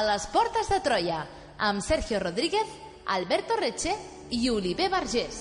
les portes de Troia, amb Sergio Rodríguez, Alberto Reche i Oliver Vergés.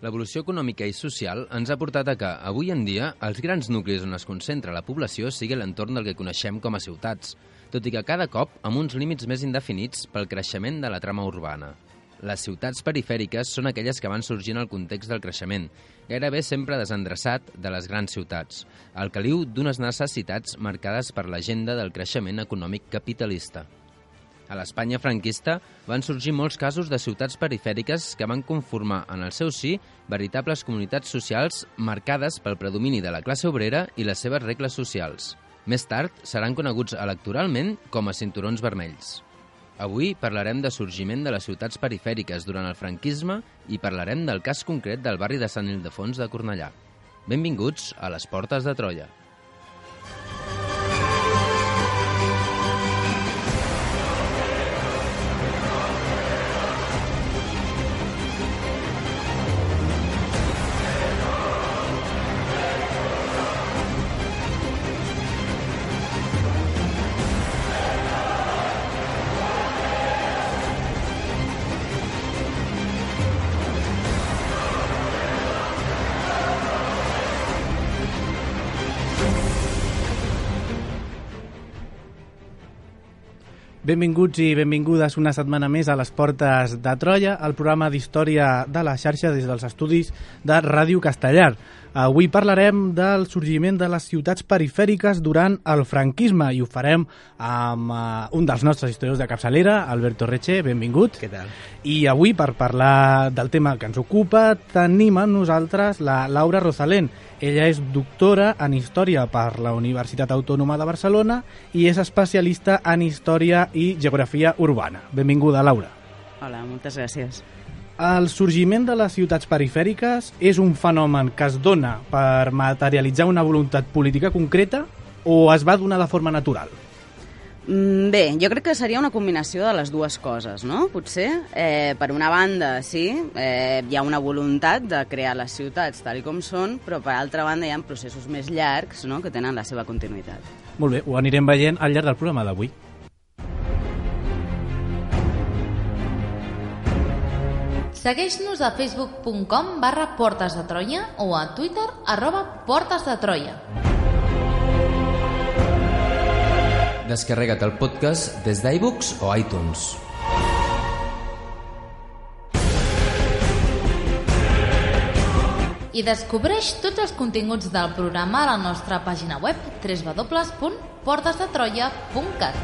L'evolució econòmica i social ens ha portat a que, avui en dia, els grans nuclis on es concentra la població sigui l'entorn del que coneixem com a ciutats, tot i que cada cop amb uns límits més indefinits pel creixement de la trama urbana. Les ciutats perifèriques són aquelles que van sorgir en el context del creixement, gairebé sempre desendreçat de les grans ciutats, al caliu d'unes necessitats marcades per l'agenda del creixement econòmic capitalista. A l'Espanya franquista van sorgir molts casos de ciutats perifèriques que van conformar en el seu si veritables comunitats socials marcades pel predomini de la classe obrera i les seves regles socials. Més tard seran coneguts electoralment com a cinturons vermells. Avui parlarem de sorgiment de les ciutats perifèriques durant el franquisme i parlarem del cas concret del barri de Sant Ildefons de Cornellà. Benvinguts a les Portes de Troia. Benvinguts i benvingudes una setmana més a les Portes de Troia, el programa d'història de la xarxa des dels estudis de Ràdio Castellar. Avui parlarem del sorgiment de les ciutats perifèriques durant el franquisme i ho farem amb un dels nostres historiadors de capçalera, Alberto Reche, benvingut. Què tal? I avui, per parlar del tema que ens ocupa, tenim amb nosaltres la Laura Rosalén. Ella és doctora en Història per la Universitat Autònoma de Barcelona i és especialista en Història i Geografia Urbana. Benvinguda, Laura. Hola, moltes gràcies. El sorgiment de les ciutats perifèriques és un fenomen que es dona per materialitzar una voluntat política concreta o es va donar de forma natural? Bé, jo crec que seria una combinació de les dues coses, no? Potser, per una banda, sí, hi ha una voluntat de crear les ciutats tal com són, però per altra banda hi ha processos més llargs, no?, que tenen la seva continuïtat. Molt bé, ho anirem veient al llarg del programa d'avui. Segueix-nos a facebook.com/Portes de Troia o a Twitter @PortesDeTroia. Descarrega't el podcast des d'iVoox o iTunes. I descobreix tots els continguts del programa a la nostra pàgina web www.portesdetroia.cat.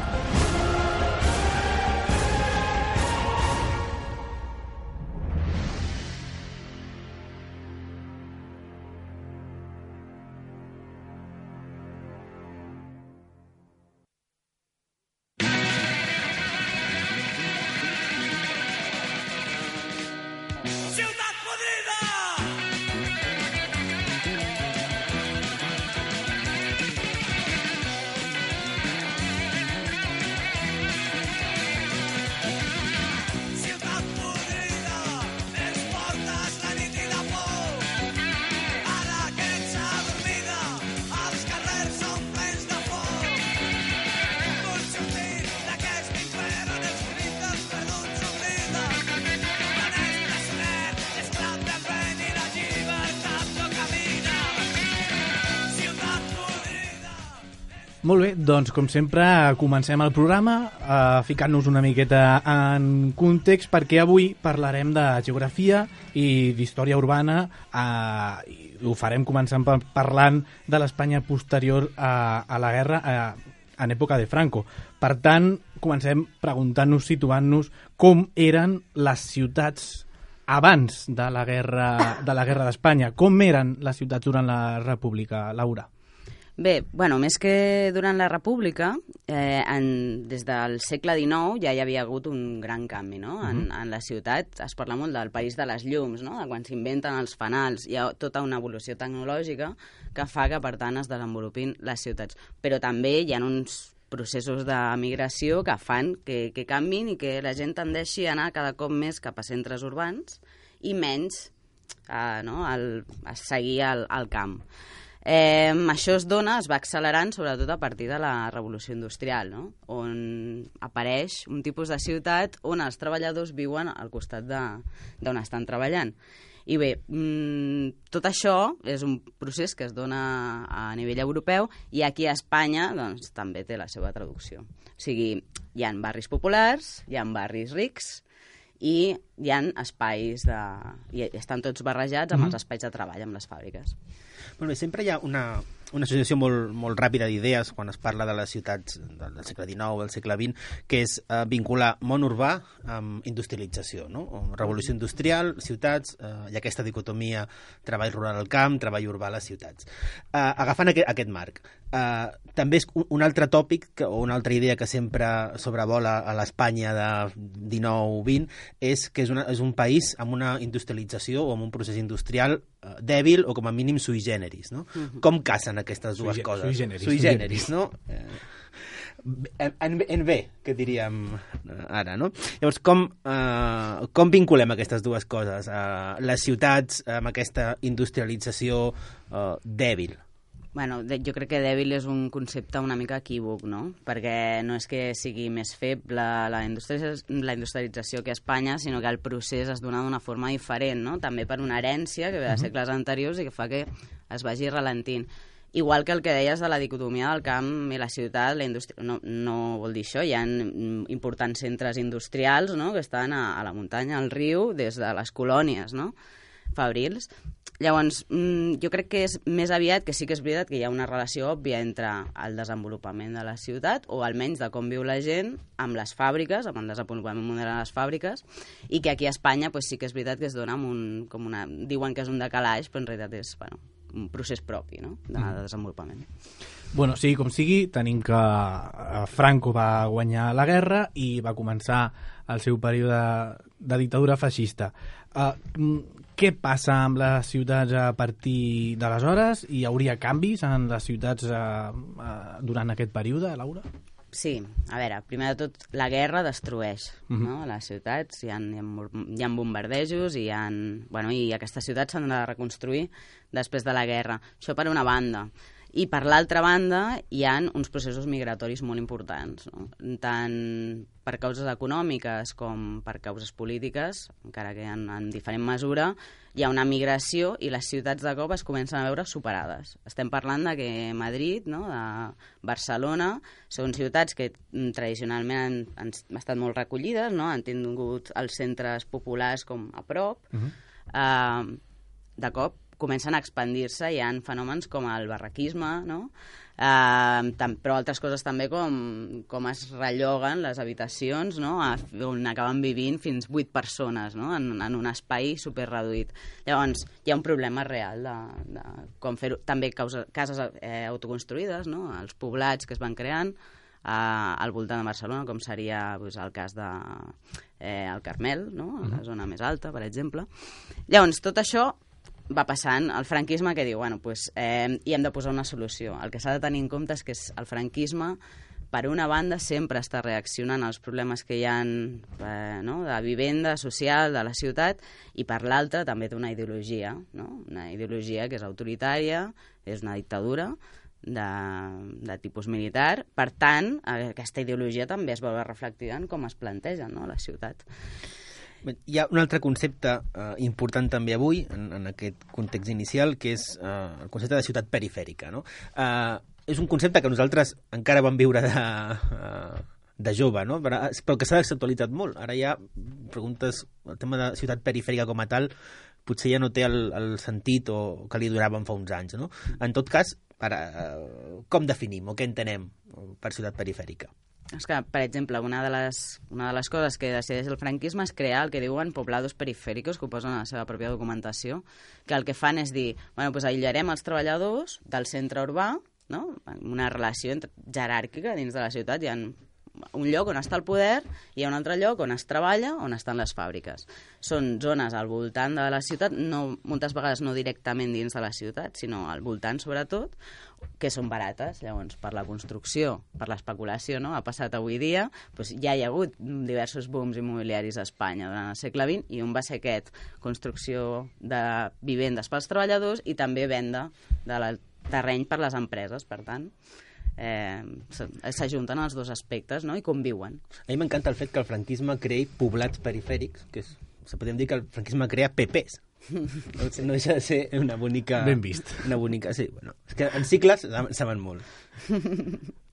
Molt bé, doncs com sempre comencem el programa ficant-nos una miqueta en context perquè avui parlarem de geografia i d'història urbana i ho farem començant parlant de l'Espanya posterior a la guerra en època de Franco. Per tant, comencem preguntant-nos, situant-nos com eren les ciutats abans de la guerra d'Espanya. Com eren les ciutats durant la República, Laura? Bé, bueno, més que durant la República, des del segle XIX ja hi havia hagut un gran canvi, no? En la ciutat es parla molt del país de les llums, no? De quan s'inventen els fanals. Hi ha tota una evolució tecnològica que fa que, per tant, es desenvolupin les ciutats. Però també hi ha uns processos de migració que fan que canvin i que la gent tendeixi a anar cada cop més cap a centres urbans i menys a seguir al camp. Això es va accelerant sobretot a partir de la Revolució Industrial, no? On apareix un tipus de ciutat on els treballadors viuen al costat d'on estan treballant. I bé, tot això és un procés que es dona a nivell europeu i aquí a Espanya doncs, també té la seva traducció. O sigui, hi ha barris populars, hi ha barris rics i hi ha espais i estan tots barrejats amb els espais de treball, amb les fàbriques. Molt bé, sempre hi ha una associació molt ràpida d'idees quan es parla de les ciutats del segle XIX, del segle XX, que és vincular món urbà amb industrialització, no? Revolució industrial, ciutats, i aquesta dicotomia treball rural al camp, treball urbà a les ciutats. Agafant aquest marc, també és un altre tòpic o una altra idea que sempre sobrevola a l'Espanya de 19-20 és que és un país amb una industrialització o amb un procés industrial dèbil o com a mínim sui generis, no? Com casen aquestes dues coses? Sui generis, no? En bé, que diríem ara, no? Llavors, com vinculem aquestes dues coses? Les ciutats amb aquesta industrialització dèbil? Bueno, jo crec que dèbil és un concepte una mica equívoc, no? Perquè no és que sigui més feble la industrialització que a Espanya, sinó que el procés es dona d'una forma diferent, no? També per una herència que ve de segles anteriors i que fa que es vagi ralentint. Igual que el que deies de la dicotomia del camp i la ciutat, la indústria, no vol dir això. Hi ha importants centres industrials, no?, que estan a la muntanya, al riu, des de les colònies, no?, fabrils. Llavors, jo crec que és més aviat que sí que és veritat que hi ha una relació òbvia entre el desenvolupament de la ciutat, o almenys de com viu la gent, amb les fàbriques, amb el desenvolupament modern de les fàbriques, i que aquí a Espanya sí que és veritat que es dona diuen que és un decalaix, però en realitat és un procés propi, no?, de desenvolupament. Bueno, sigui com sigui, tenim que Franco va guanyar la guerra i va començar el seu període de dictadura feixista. Què passa amb les ciutats a partir d'aleshores? Hi hauria canvis en les ciutats durant aquest període, Laura? Sí, a veure, primer de tot, la guerra destrueix, no?, les ciutats, hi ha bombardejos i aquestes ciutats s'han de reconstruir després de la guerra. Això per una banda. I per l'altra banda hi ha uns processos migratoris molt importants, no?, tant per causes econòmiques com per causes polítiques, encara que en diferent mesura, hi ha una migració i les ciutats de cop es comencen a veure superades. Estem parlant de que Madrid, no?, de Barcelona, són ciutats que tradicionalment han estat molt recollides, no?, han tingut els centres populars com a prop, de cop comencen a expandir-se, hi ha fenòmens com el barraquisme, no?, però altres coses també com es relloguen les habitacions, no?, on acaben vivint fins 8 persones, no?, en un espai superreduït. Llavors, hi ha un problema real de com fer-ho. També cases autoconstruïdes, no?, els poblats que es van creant al voltant de Barcelona, com seria el cas del Carmel, no?, a la zona més alta, per exemple. Llavors, tot això va passant. El franquisme que diu, hi hem de posar una solució. El que s'ha de tenir en compte és que el franquisme, per una banda, sempre està reaccionant als problemes que hi ha de vivenda social de la ciutat, i per l'altra també té una ideologia, no?, una ideologia que és autoritària, és una dictadura de tipus militar. Per tant, aquesta ideologia també es veu reflectida en com es planteja, no?, la ciutat. Hi ha un altre concepte important també avui, en aquest context inicial, que és el concepte de ciutat perifèrica, no? És un concepte que nosaltres encara vam viure de jove, no?, però que s'ha desactualitzat molt. Ara ja preguntes, el tema de ciutat perifèrica com a tal potser ja no té el sentit o que li donaven fa uns anys, no? En tot cas, com definim o què entenem per ciutat perifèrica? És que, per exemple, una de les coses que decideix el franquisme és crear el que diuen poblados perifèricos, que ho posen a la seva pròpia documentació, que el que fan és dir, aïllarem els treballadors del centre urbà, no? Una relació jeràrquica dins de la ciutat. Hi ha un lloc on està el poder i hi ha un altre lloc on es treballa, on estan les fàbriques. Són zones al voltant de la ciutat, moltes vegades no directament dins de la ciutat, sinó al voltant sobretot, que són barates. Llavors, per la construcció, per l'especulació, no? Ha passat avui dia, doncs ja hi ha hagut diversos booms immobiliaris a Espanya durant el segle XX, i un va ser aquest, construcció de vivendes pels treballadors i també venda de terreny per les empreses, per tant. S'ajunten els dos aspectes, no? I conviuen. A mi m'encanta el fet que el franquisme creï poblats perifèrics, que podem dir que el franquisme crea PPs. No deixa de ser una bonica... Ben vist. Una bonica, sí. Bueno, és que en cicles saben molt.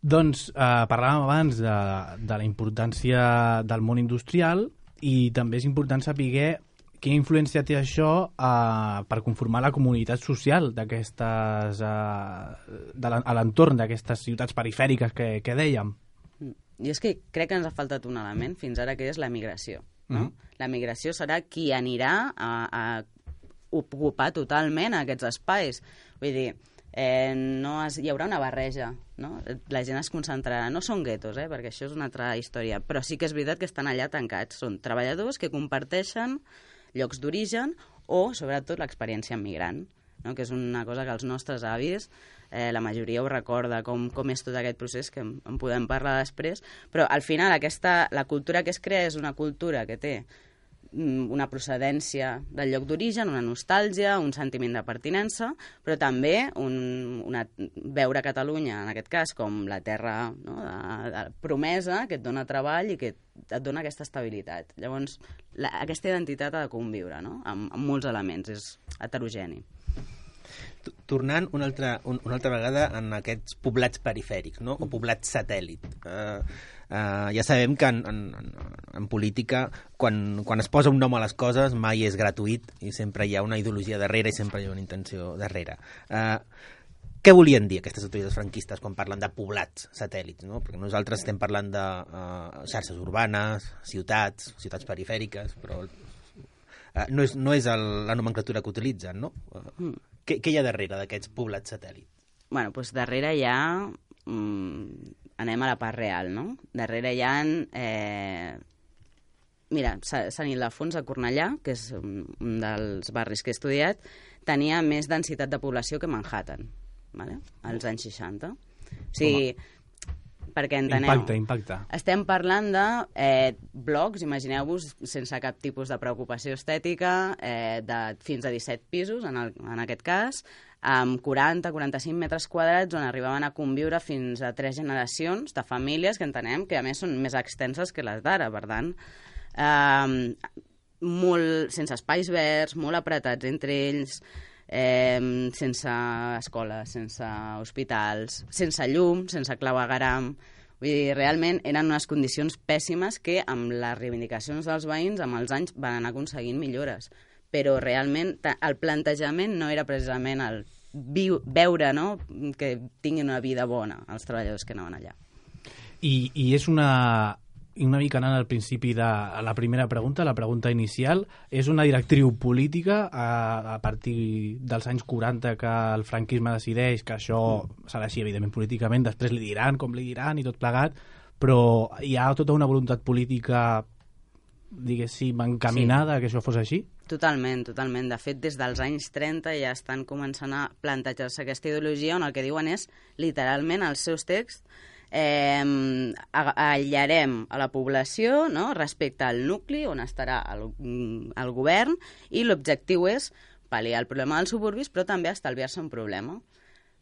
Doncs parlàvem abans de la importància del món industrial, i també és important saber quina influència té això per conformar la comunitat social d'aquestes a l'entorn d'aquestes ciutats perifèriques que dèiem. I és que crec que ens ha faltat un element fins ara, que és la migració. No? La migració serà qui anirà a ocupar totalment aquests espais. Vull dir, hi haurà una barreja, no? La gent es concentrarà, no són guetos, perquè això és una altra història, però sí que és veritat que estan allà tancats, són treballadors que comparteixen llocs d'origen o, sobretot, l'experiència migrant, no? Que és una cosa que els nostres avis, la majoria ho recorda, com és tot aquest procés, que en podem parlar després, però al final la cultura que es crea és una cultura que té una procedència del lloc d'origen, una nostàlgia, un sentiment de pertinença, però també veure Catalunya, en aquest cas, com la terra, no? de promesa, que et dona treball i que et dona aquesta estabilitat. Llavors, aquesta identitat ha de conviure, no? amb molts elements, és heterogeni. Tornant una altra vegada en aquests poblats perifèrics, no? O poblats satèl·lit. Ja sabem que en política, quan es posa un nom a les coses, mai és gratuït i sempre hi ha una ideologia darrere i sempre hi ha una intenció darrere. Què volien dir aquestes autoritats franquistes quan parlen de poblats satèl·lits, no? Perquè nosaltres estem parlant de xarxes urbanes, ciutats perifèriques, però no és la nomenclatura que utilitzen, no? Què hi ha darrere d'aquests poblats satèl·lit? Bueno, doncs darrere hi ha... anem a la part real, no? Darrere hi ha... Mira, Sant Ildefons a Cornellà, que és un dels barris que he estudiat, tenia més densitat de població que Manhattan, vale? Als anys 60. O sigui, perquè enteneu... Impacte. Estem parlant de blocs, imagineu-vos, sense cap tipus de preocupació estètica, de fins a 17 pisos, en aquest cas, amb 40-45 metres quadrats, on arribaven a conviure fins a 3 generacions de famílies que entenem que, a més, són més extenses que les d'ara, per tant, molt sense espais verds, molt apretats entre ells, sense escoles, sense hospitals, sense llum, sense clavegueram. Vull dir, realment eren unes condicions pèssimes que amb les reivindicacions dels veïns amb els anys van anar aconseguint millores. Però realment el plantejament no era precisament el veure, no?, que tinguin una vida bona els treballadors que anaven allà. I és una mica anant al principi de la primera pregunta, la pregunta inicial, és una directriu política a partir dels anys 40 que el franquisme decideix que això s'ha d'així, evidentment, políticament, després li diran com li diran i tot plegat, però hi ha tota una voluntat política, diguéssim, encaminada a que això fos així? Totalment, totalment. De fet, des dels anys 30 ja estan començant a plantejar-se aquesta ideologia on el que diuen és, literalment, als seus texts, aïllarem a la població, no?, respecte al nucli on estarà el govern, i l'objectiu és pal·liar el problema dels suburbis, però també estalviar-se un problema.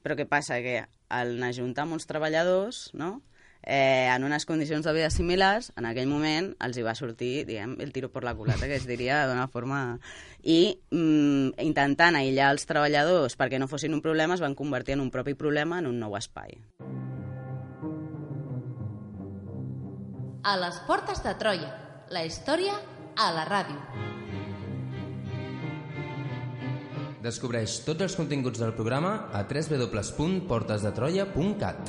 Però què passa? Que en ajuntar amb uns treballadors, no?, en unes condicions de vida similars, en aquell moment els hi va sortir, diguem, el tiro per la culata, que es diria d'una forma... I intentant aïllar els treballadors perquè no fossin un problema, es van convertir en un propi problema, en un nou espai. A les portes de Troia, la història a la ràdio. Descobreix tots els continguts del programa a www.portesdetroia.cat.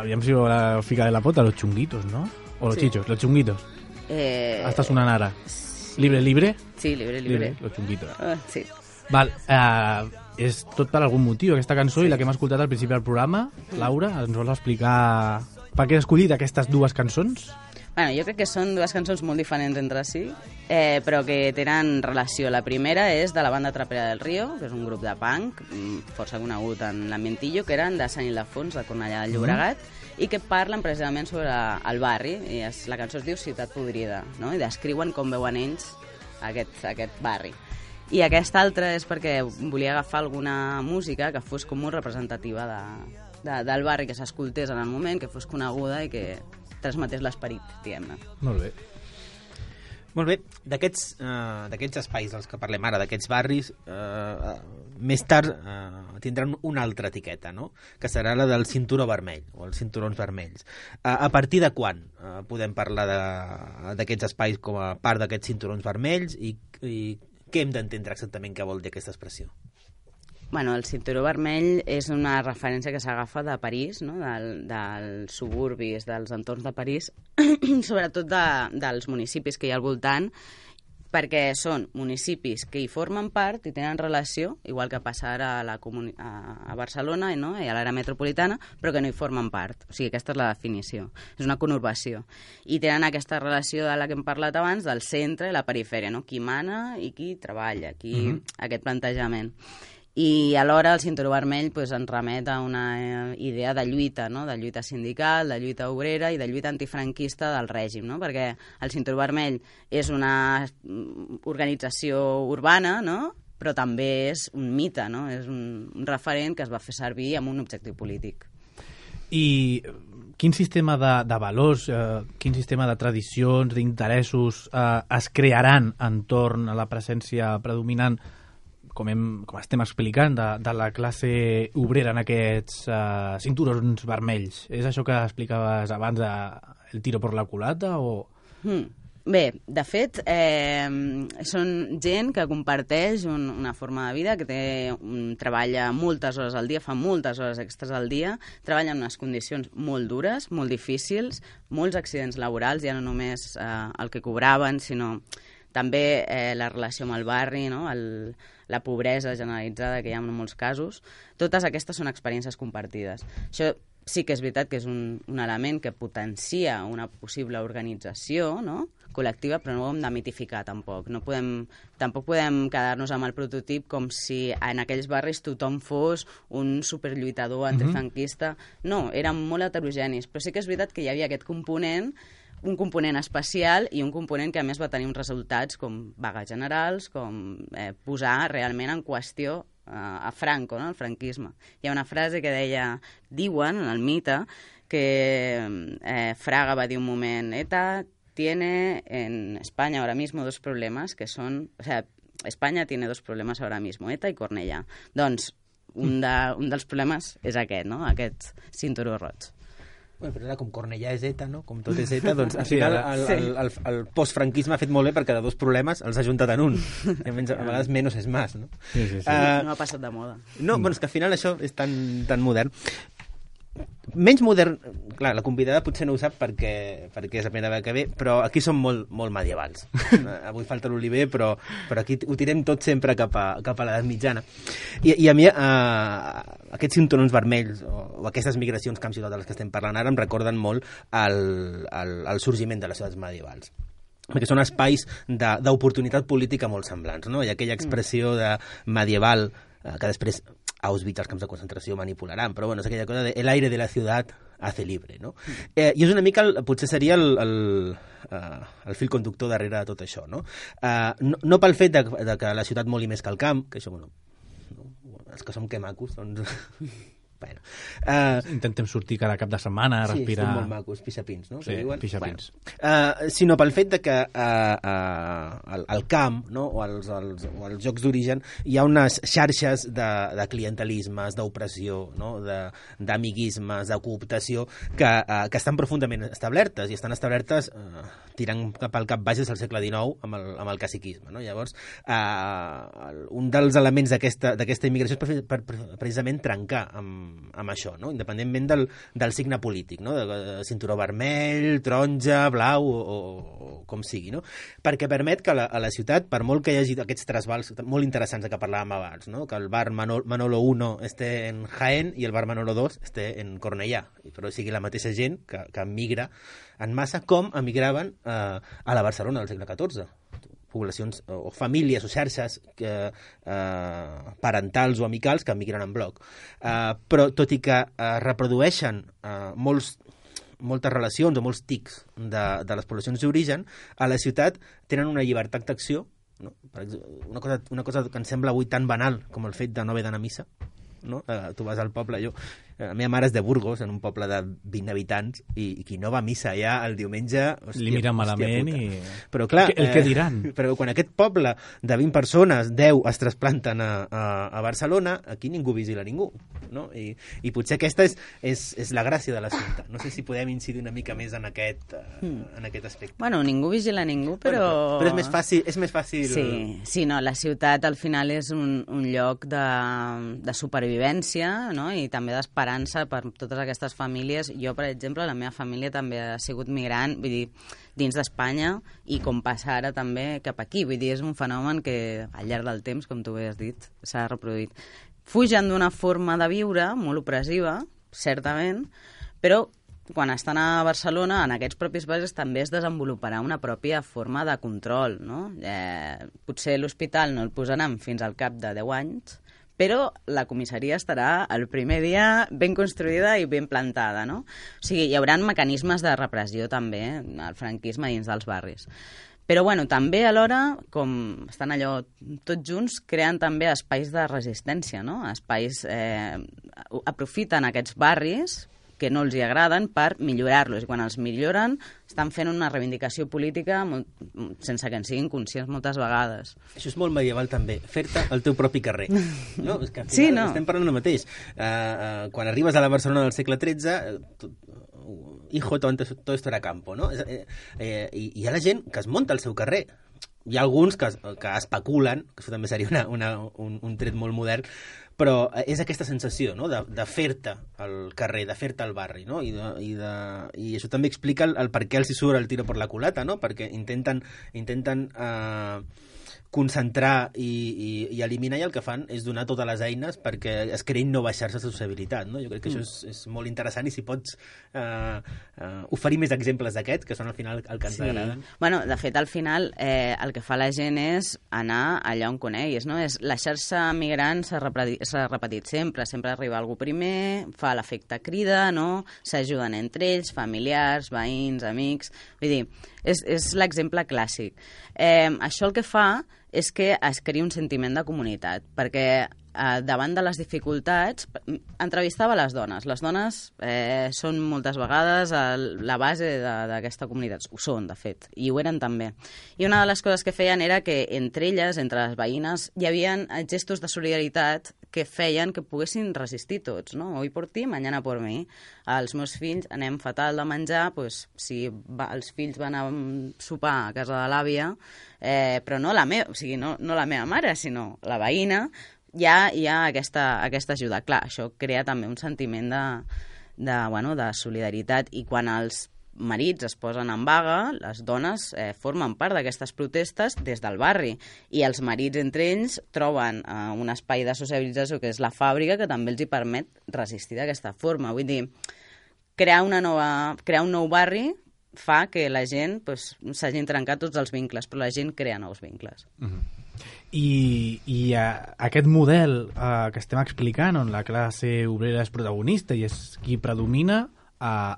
Aviam si la fica de la pota, los chunguitos, ¿no? O los chichos, los chunguitos. Està sonant ara. Libre? Sí, libre. Los chunguitos. Sí. Val, és tot per algun motiu, aquesta cançó, i la que hem escoltat al principi del programa. Laura, ens vols explicar per què has escollit aquestes dues cançons? Bueno, jo crec que són dues cançons molt diferents entre si, però que tenen relació. La primera és de la banda Trapera del Río, que és un grup de punk força conegut en l'ambientillo, que eren de Sant Ildefons, de Cornellà del Llobregat, i que parlen precisament sobre el barri. I la cançó es diu Ciutat Podrida, no? I descriuen com veuen ells aquest barri. I aquesta altra és perquè volia agafar alguna música que fos com molt representativa del barri, que s'escoltés en el moment, que fos coneguda i que transmetés l'esperit, diguem-ne. Molt bé. Molt bé, d'aquests espais dels que parlem ara, d'aquests barris, més tard tindran una altra etiqueta, no? Que serà la del cinturó vermell, o els cinturons vermells. A partir de quan podem parlar d'aquests espais com a part d'aquests cinturons vermells i què hem d'entendre exactament què vol dir aquesta expressió? Bueno, el cinturó vermell és una referència que s'agafa de París, no? Dels suburbis, dels entorns de París, sobretot dels municipis que hi ha al voltant, perquè són municipis que hi formen part i tenen relació, igual que passa ara a Barcelona, no? I a l'àrea metropolitana, però que no hi formen part. O sigui, aquesta és la definició. És una conurbació. I tenen aquesta relació de la que hem parlat abans, del centre i la perifèria, no? Qui mana i qui treballa, aquest plantejament. I alhora el cinturó vermell ens remet a una idea de lluita, no? De lluita sindical, de lluita obrera i de lluita antifranquista del règim, no? Perquè el cinturó vermell és una organització urbana, no? Però també és un mite, no? És un referent que es va fer servir amb un objectiu polític. I quin sistema de valors, quin sistema de tradicions, d'interessos es crearan entorn a la presència predominant, com estem explicant, de la classe obrera en aquests cinturons vermells? És això que explicaves abans, el tiro per la culata, o...? Bé, de fet, són gent que comparteix una forma de vida, que treballa moltes hores al dia, fa moltes hores extres al dia, treballa en unes condicions molt dures, molt difícils, molts accidents laborals, ja no només el que cobraven, sinó també la relació amb el barri, no? La pobresa generalitzada que hi ha en molts casos. Totes aquestes són experiències compartides. Això sí que és veritat que és un element que potencia una possible organització, no? Col·lectiva, però no ho hem de mitificar tampoc. Tampoc podem quedar-nos amb el prototip com si en aquells barris tothom fos un superlluitador antifranquista. No, eren molt heterogenis, però sí que és veritat que hi havia aquest component, un component especial i un component que a més va tenir uns resultats com vagues generals, com posar realment en qüestió a Franco, no? El franquisme. Hi ha una frase que diuen en el mite, que Fraga va dir un moment: ETA tiene en España ahora mismo dos problemas que son... O sea, España tiene dos problemas ahora mismo, ETA i Cornellà. Doncs un dels problemes és aquest, no? Aquest cinturó roig. Bueno, però ara, com Cornellà és ETA, no? Com tot és ETA, doncs al final el postfranquisme ha fet molt bé perquè de dos problemes els ha juntat en un. A vegades menos és más, no? Sí. No ha passat de moda. No, bueno, és que al final això és tan modern. Menys modern, clar, la convidada potser no ho sap perquè és la primera vegada que ve, però aquí som molt medievals. Avui falta l'Oliver, però aquí ho tirem tot sempre cap a l'edat mitjana. I a mi aquests cinturons vermells o aquestes migracions camp-ciutat de les que estem parlant ara em recorden molt el sorgiment de les ciutats medievals, perquè són espais d'oportunitat política molt semblants, no? Hi ha aquella expressió de medieval que després Auschwitz, els camps de concentració, manipularan, però bueno, és aquella cosa de el aire de la ciutat hace libre, no? I és una mica, potser seria el fil conductor darrere de tot això, no? No pel fet de que la ciutat moli més que el camp, que això, bueno, els que som que macos, doncs... Bueno, intentem sortir cada cap de setmana a respirar... Sí, són molt macos, pixapins, no? Sí, pixapins. Bueno, sinó pel fet de que al camp, no? o als jocs d'origen hi ha unes xarxes de clientelismes, d'opressió, no? d'amiguismes, de cooptació que estan profundament establertes, i estan establertes tirant cap al cap baix des del segle XIX amb el caciquisme, no? Llavors, un dels elements d'aquesta immigració és precisament trencar amb amb això, no? Independentment del signe polític, no? De cinturó vermell, taronja, blau o com sigui, no? Perquè permet que a la ciutat, per molt que hi hagi aquests trasbals molt interessants de què parlàvem abans, no? Que el bar Manolo 1 esté en Jaén i el bar Manolo 2 esté en Cornellà, però sigui la mateixa gent que migra en massa, com emigraven a la Barcelona del segle XIV. Poblacions o famílies o xarxes parentals o amicals que emigren en bloc. Però tot i que reprodueixen moltes relacions o molts tics de les poblacions d'origen, a la ciutat tenen una llibertat d'acció, no? Per exemple, una cosa que em sembla avui tan banal com el fet de no haver d'anar a missa, no? Tu vas al poble, la meva mare és de Burgos, en un poble de 20 habitants, i qui no va a missa allà el diumenge... Li mira malament i... Però clar... El que diran. Però quan aquest poble de 20 persones, 10 es trasplanten a Barcelona, aquí ningú vigila ningú, no? I potser aquesta és la gràcia de l'assumpte. No sé si podem incidir una mica més en aquest aspecte. Bueno, ningú vigila ningú, però... Però és més fàcil... Sí, no, la ciutat al final és un lloc de supervivència, no? I també d'esperança per totes aquestes famílies. Jo, per exemple, la meva família també ha sigut migrant, vull dir, dins d'Espanya, i com passa ara també cap aquí. Vull dir, és un fenomen que al llarg del temps, com tu bé has dit, s'ha reproduït. Fugen d'una forma de viure molt opressiva, certament, però quan estan a Barcelona, en aquests propis barris també es desenvoluparà una pròpia forma de control, no? Potser l'hospital no el posaran fins al cap de 10 anys, però la comissaria estarà el primer dia ben construïda i ben plantada, no? O sigui, hi haurà mecanismes de repressió també, el franquisme dins dels barris. Però bueno, també alhora, com estan allò tots junts, creen també espais de resistència, no? Espais, aprofiten aquests barris que no els hi agraden per millorar-los. I quan els milloren, estan fent una reivindicació política sense que en siguin conscients moltes vegades. Això és molt medieval també, fer-te el teu propi carrer. No? És que al final sí, no? Estem parlant del mateix. Quan arribes a la Barcelona del segle XIII, hijo, todo esto era campo, no? I hi ha la gent que es munta el seu carrer. Hi ha alguns que especulen, que això també seria un tret molt modern, però és aquesta sensació, no? de fer-te al carrer, de fer-te al barri, no? I això també explica el per què els hi surt el tiro per la culata, no? Perquè intenten concentrar i eliminar, i el que fan és donar totes les eines perquè es creïn noves xarxes de sociabilitat, no? Jo crec que això és molt interessant, i si pots oferir més exemples d'aquests, que són al final el que ens agraden. Bueno, de fet, al final el que fa la gent és anar allà on coneguis, no? La xarxa migrant s'ha repetit sempre arriba algú primer, fa l'efecte crida, no? S'ajuden entre ells, familiars, veïns, amics... Vull dir, és l'exemple clàssic. Això el que fa és que es crea un sentiment de comunitat, perquè davant de les dificultats entrevistava les dones. Les dones són moltes vegades la base d'aquesta comunitat. Ho són, de fet, i ho eren també. I una de les coses que feien era que entre elles, entre les veïnes, hi havia gestos de solidaritat que feien que poguessin resistir tots, no? Hoy por ti, mañana por mí. Els meus fills anem fatal de menjar, doncs, si els fills van a sopar a casa de l'àvia, però no la meva mare, sinó la veïna, hi ha aquesta ajuda. Clar, això crea també un sentiment de solidaritat, i quan els marits es posen en vaga, les dones formen part d'aquestes protestes des del barri, i els marits entre ells troben un espai de socialització que és la fàbrica, que també els hi permet resistir d'aquesta forma. Vull dir, crear un nou barri fa que la gent s'hagin trencat tots els vincles, però la gent crea nous vincles. I aquest model que estem explicant, on la classe obrera és protagonista i és qui predomina,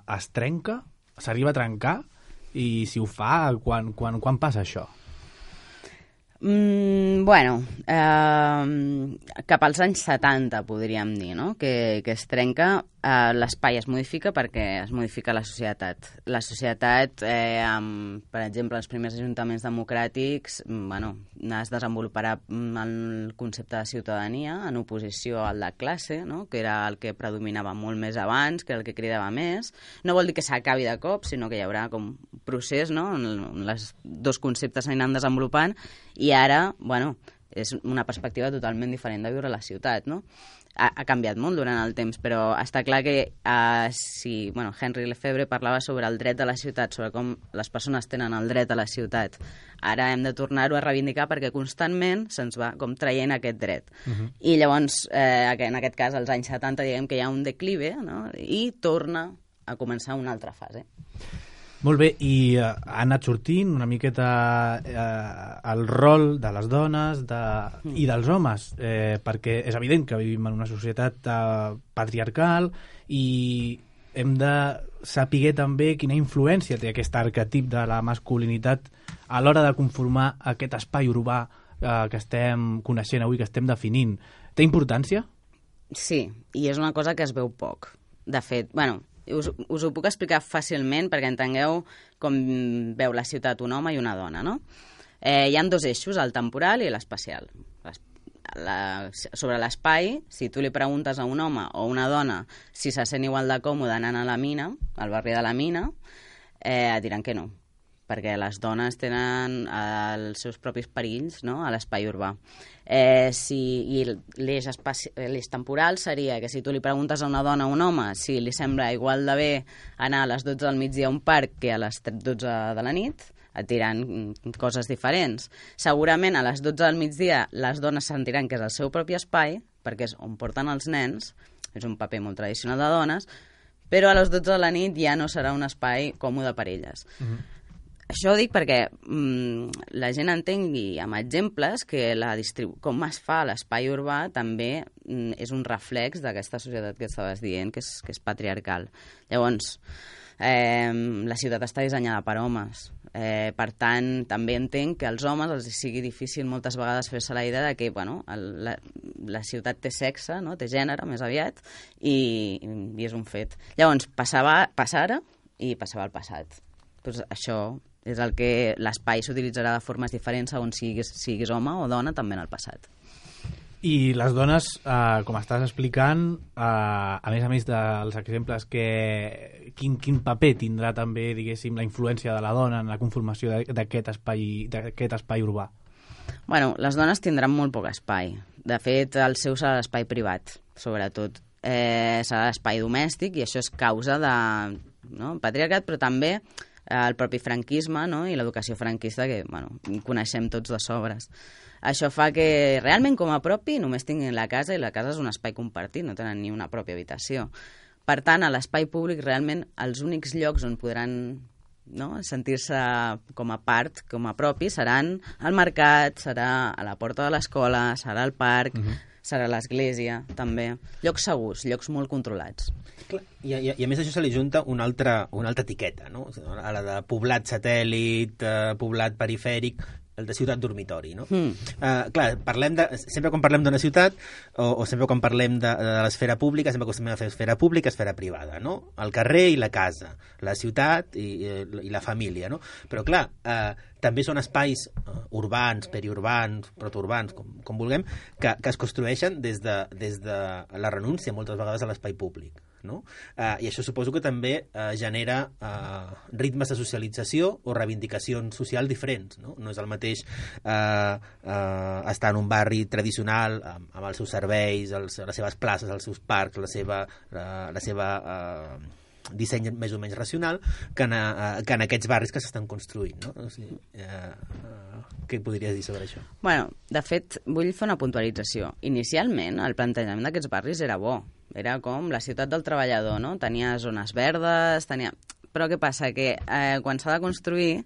es trenca? S'arriba a trencar? I si ho fa, quan passa això? Bueno, cap als anys 70, podríem dir, no? Que es trenca, l'espai es modifica perquè es modifica la societat. La societat, per exemple, els primers ajuntaments democràtics, es desenvoluparà el concepte de ciutadania en oposició al de classe, no? Que era el que predominava molt més abans, que era el que cridava més. No vol dir que s'acabi de cop, sinó que hi haurà com un procés, no? On els dos conceptes s'aniran desenvolupant, i ara, és una perspectiva totalment diferent de viure a la ciutat, no? ha canviat molt durant el temps, però està clar que Henry Lefebvre parlava sobre el dret de la ciutat, sobre com les persones tenen el dret a la ciutat. Ara hem de tornar-ho a reivindicar perquè constantment se'ns va com traient aquest dret. I llavors, en aquest cas, als anys 70, diguem que hi ha un declive, no? I torna a començar una altra fase. Molt bé, i ha anat sortint una miqueta el rol de les dones i dels homes, perquè és evident que vivim en una societat patriarcal i hem de saber també quina influència té aquest arquetip de la masculinitat a l'hora de conformar aquest espai urbà que estem coneixent avui, que estem definint. Té importància? Sí, i és una cosa que es veu poc. De fet, us ho puc explicar fàcilment perquè entengueu com veu la ciutat un home i una dona, no? Hi ha 2 eixos, el temporal i l'espacial. Sobre l'espai, si tu li preguntes a un home o una dona si se sent igual de còmode anant a la mina, al barri de la mina, et diran que no, perquè les dones tenen els seus propis perills, no?, a l'espai urbà. I l'eix temporal seria que si tu li preguntes a una dona o un home si li sembla igual de bé anar a les 12 del migdia a un parc que a les 12 de la nit, et diran coses diferents. Segurament a les 12 del migdia les dones sentiran que és el seu propi espai, perquè és on porten els nens, és un paper molt tradicional de dones, però a les 12 de la nit ja no serà un espai còmode per elles. Això ho dic perquè la gent entengui amb exemples que com es fa l'espai urbà també és un reflex d'aquesta societat que estaves dient, que és patriarcal. Llavors, la ciutat està dissenyada per homes. Per tant, també entenc que als homes els sigui difícil moltes vegades fer-se la idea de que la ciutat té sexe, no? Té gènere, més aviat, i és un fet. Llavors, passava ara i passava al passat. Doncs això és el que l'espai s'utilitzarà de formes diferents segons siguis home o dona també en el passat. I les dones, com estàs explicant, a més dels exemples, quin paper tindrà també, diguéssim, la influència de la dona en la conformació d'aquest espai urbà? Bueno, les dones tindran molt poc espai. De fet, el seu serà l'espai privat, sobretot. Serà l'espai domèstic i això és causa de patriarcat, però també el propi franquisme, no? I l'educació franquista que coneixem tots de sobres. Això fa que realment com a propi només tinguin la casa i la casa és un espai compartit, no tenen ni una pròpia habitació. Per tant, a l'espai públic realment els únics llocs on podran sentir-se com a part, com a propi, seran al mercat, serà a la porta de l'escola, serà al parc, serà l'església, també. Llocs segurs, llocs molt controlats. I a més això se li junta una altra etiqueta, no? A la de poblat satèl·lit, poblat perifèric, el de ciutat dormitori, no? Clar, sempre quan parlem d'una ciutat o sempre quan parlem de l'esfera pública, sempre acostumem a fer esfera pública, esfera privada, no? El carrer i la casa, la ciutat i la família, no? Però clar, també són espais urbans, periurbans, protourbans, com vulguem, que es construeixen des de la renúncia moltes vegades a l'espai públic, no? I això suposo que també genera ritmes de socialització o reivindicacions socials diferents, no? No és el mateix estar en un barri tradicional amb els seus serveis, les seves places, els seus parcs, la seva disseny més o menys racional que en aquests barris que s'estan construint, no? O sigui, què podries dir sobre això? Bueno, de fet, vull fer una puntualització. Inicialment, el plantejament d'aquests barris era bo. Era com la ciutat del treballador, no? Tenia zones verdes, Però què passa? Que quan s'ha de construir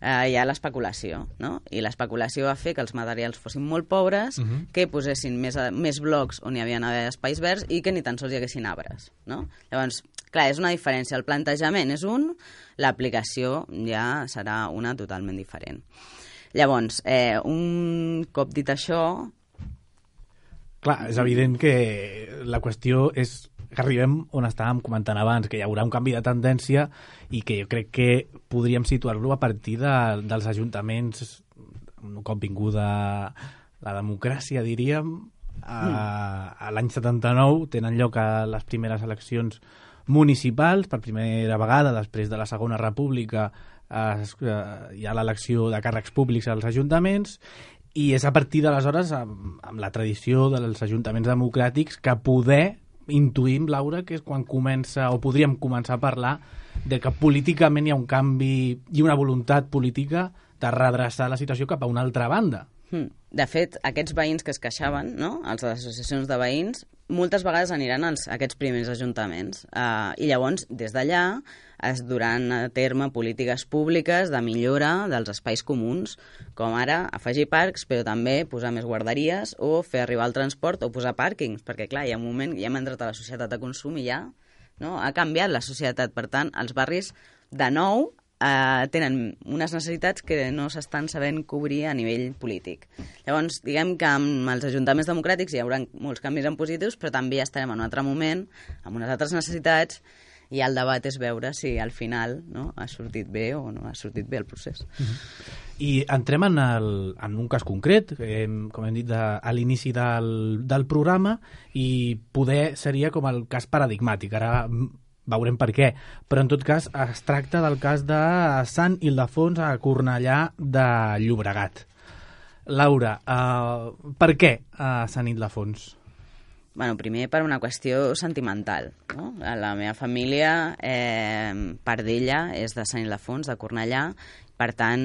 hi ha l'especulació, no? I l'especulació va fer que els materials fossin molt pobres, que posessin més blocs on hi havia espais verds i que ni tan sols hi haguessin arbres, no? Llavors, clar, és una diferència. El plantejament és un, l'aplicació ja serà una totalment diferent. Llavors, un cop dit això... Clar, és evident que la qüestió és que arribem on estàvem comentant abans, que hi haurà un canvi de tendència i que jo crec que podríem situar-lo a partir dels ajuntaments, un cop vinguda la democràcia, diríem. A l'any 79 tenen lloc a les primeres eleccions municipals, per primera vegada després de la Segona República hi ha l'elecció de càrrecs públics als ajuntaments I és a partir d'aleshores, amb la tradició dels ajuntaments democràtics, que poder intuïm, Laura, que és quan comença, o podríem començar a parlar de que políticament hi ha un canvi i una voluntat política de redreçar la situació cap a una altra banda. De fet, aquests veïns que es queixaven, no? Els de les associacions de veïns, moltes vegades aniran a aquests primers ajuntaments. I llavors, des d'allà, es duran a terme polítiques públiques de millora dels espais comuns, com ara afegir parcs, però també posar més guarderies o fer arribar el transport o posar pàrquings, perquè, clar, hi ha un moment que ja hem entrat a la societat de consum i ja ha canviat la societat. Per tant, els barris, de nou, tenen unes necessitats que no s'estan sabent cobrir a nivell polític. Llavors, diguem que amb els ajuntaments democràtics hi haurà molts canvis en positius, però també ja estarem en un altre moment, amb unes altres necessitats, i el debat és veure si al final ha sortit bé o no ha sortit bé el procés. I entrem en un cas concret, com hem dit a l'inici del programa, i poder seria com el cas paradigmàtic. Ara veurem per què, però en tot cas es tracta del cas de Sant Ildefons a Cornellà de Llobregat. Laura, per què a Sant Ildefons? Bueno, primer per una qüestió sentimental, no? La meva família, part d'ella, és de Sant Ildefons, de Cornellà. Per tant,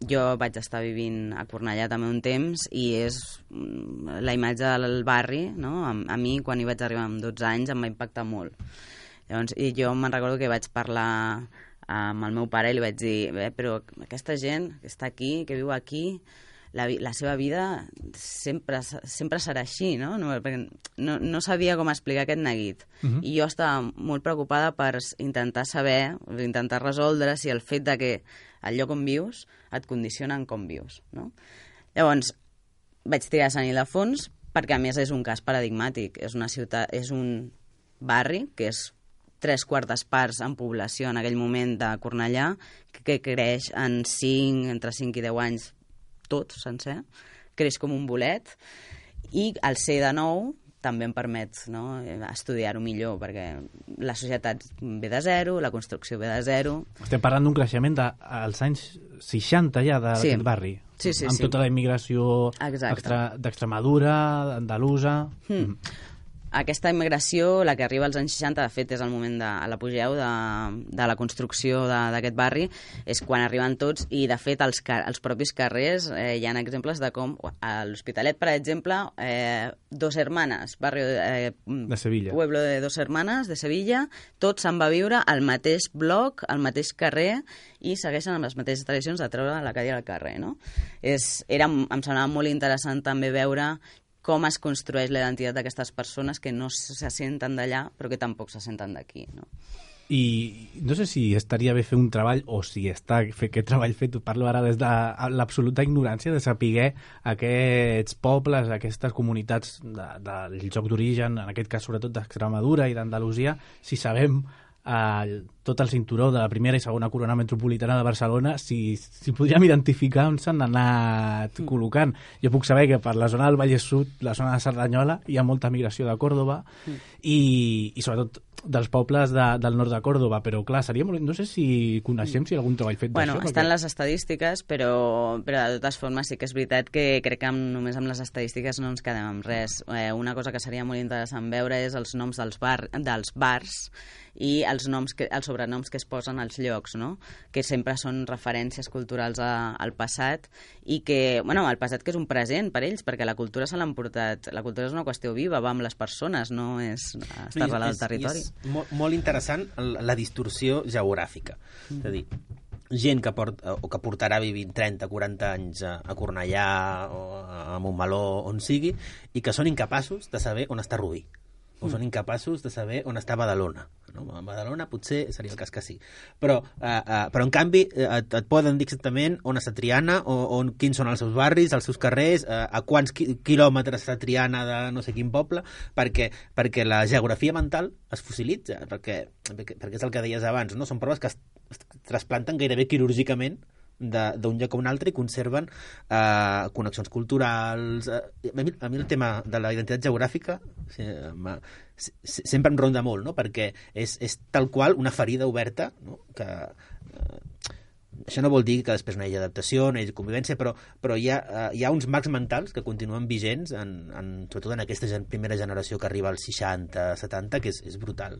jo vaig estar vivint a Cornellà també un temps i és la imatge del barri, no? A mi, quan hi vaig arribar amb 12 anys, em va impactar molt. Llavors, i jo me'n recordo que vaig parlar amb el meu pare i li vaig dir, però aquesta gent que està aquí, que viu aquí, la seva vida sempre serà així, no? Perquè no sabia com explicar aquest neguit. I jo estava molt preocupada per intentar saber, intentar resoldre si el fet de que el lloc on vius et condiciona en com vius, no? Llavors, vaig triar Sant Ildefons perquè, a més, és un cas paradigmàtic. És una ciutat, és un barri que és 3/4 parts en població en aquell moment de Cornellà, que creix en entre 5 i 10 anys tot sencer, creix com un bolet, i el ser de nou també em permet estudiar-ho millor, perquè la societat ve de zero, la construcció ve de zero. Estem parlant d'un creixement dels anys 60 ja d'aquest barri, amb tota la immigració d'Extremadura, andalusa. Aquesta immigració, la que arriba als anys 60, de fet és el moment de l'apogeu de la construcció d'aquest barri, és quan arriben tots, i de fet als propis carrers hi ha exemples de com a l'Hospitalet, per exemple, Dos Hermanas, barri de Sevilla, pueblo de Dos Hermanas de Sevilla, tots se'n va viure al mateix bloc, al mateix carrer, i segueixen amb les mateixes tradicions de treure la cadira al carrer, no? Em semblava molt interessant també veure com es construeix la identitat d'aquestes persones que no se senten d'allà, però que tampoc se senten d'aquí, no? I no sé si estaria bé fer un treball, o si està fer aquest treball fet, parlo ara des de l'absoluta ignorància, de saber aquests pobles, aquestes comunitats del lloc d'origen, en aquest cas sobretot d'Extremadura i d'Andalusia, si sabem tot el cinturó de la primera i segona corona metropolitana de Barcelona, si podríem identificar on s'han anat col·locant. Jo puc saber que per la zona del Vallès Sud, la zona de Cerdanyola, hi ha molta migració de Còrdova i sobretot dels pobles del nord de Còrdova, però clar, seria molt... No sé si coneixem si hi ha algun treball fet d'això. Bueno, estan les estadístiques, però de totes formes sí que és veritat que crec que només amb les estadístiques no ens quedem amb res. Una cosa que seria molt interessant veure és els noms dels bars i els sobrenoms que es posen als llocs, no? Que sempre són referències culturals al passat, i que, bueno, el passat que és un present per ells, perquè la cultura se l'han portat. La cultura és una qüestió viva, va amb les persones, no és estar arrelat al territori. És molt interessant la distorsió geogràfica. És a dir, gent que portarà vivint 30-40 anys a Cornellà o a Montmeló, on sigui, i que són incapaços de saber on està Rubí, o són incapaços de saber on està Badalona. No? A Badalona potser seria el cas que sí. Però en canvi et poden dir exactament on està Triana, quins són els seus barris, els seus carrers, a quants quilòmetres està Triana de no sé quin poble, perquè la geografia mental es fossilitza, perquè és el que deies abans, no? Són proves que es trasplanten gairebé quirúrgicament d'un lloc a un altre i conserven connexions culturals. A mi el tema de la identitat geogràfica sempre em ronda molt, no? Perquè és tal qual una ferida oberta, no? Que Això no vol dir que després no hi hagi adaptació, no hi hagi convivència, però hi ha uns marcs mentals que continuen vigents, sobretot en aquesta primera generació que arriba als 60-70, que és brutal.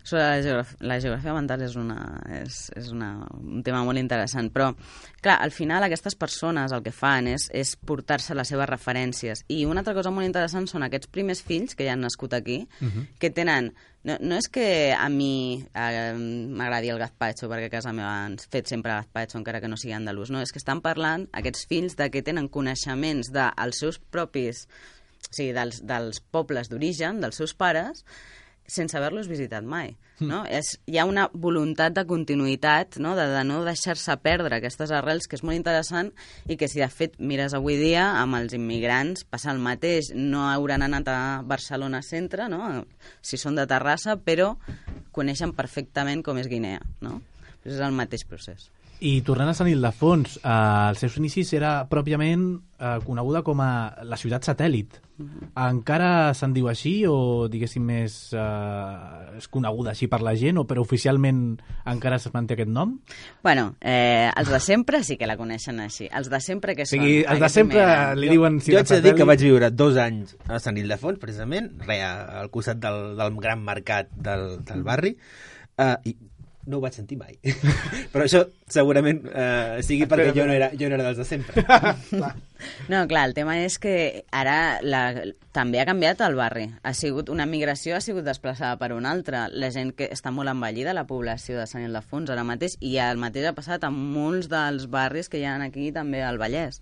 Sobre la geografia mental és un tema molt interessant, però clar, al final aquestes persones el que fan és portar-se les seves referències, i una altra cosa molt interessant són aquests primers fills que ja han nascut aquí, que tenen... No és que a mi m'agradi el gazpacho, perquè a casa meva han fet sempre gazpacho, encara que no sigui andalús. No, és que estan parlant, aquests fills, de que tenen coneixements dels seus propis... O sigui, dels pobles d'origen, dels seus pares, sense haver-los visitat mai. No? Hi ha una voluntat de continuïtat, no? De no deixar-se perdre aquestes arrels, que és molt interessant, i que si de fet mires avui dia amb els immigrants passa el mateix, no hauran anat a Barcelona centre, no? Si són de Terrassa, però coneixen perfectament com és Guinea, no? És el mateix procés. I tornant a Sant Ildefons, als seus inicis era pròpiament coneguda com a la ciutat satèl·lit. Encara se'n diu així o, diguéssim, és coneguda així per la gent, però oficialment encara es manté aquest nom? Bueno, els de sempre sí que la coneixen així. Els de sempre que són... Els de sempre li diuen ciutat satèl·lit. Jo haig de dir que vaig viure 2 anys a Sant Ildefons, precisament, al costat del gran mercat del barri, i no ho vaig sentir mai. Però això segurament sigui perquè jo no era dels de sempre. No, clar, el tema és que ara també ha canviat el barri. Una migració ha sigut desplaçada per una altra. La gent que està molt envellida, la població de Sant Ildefons ara mateix, i el mateix ha passat amb molts dels barris que hi ha aquí també al Vallès.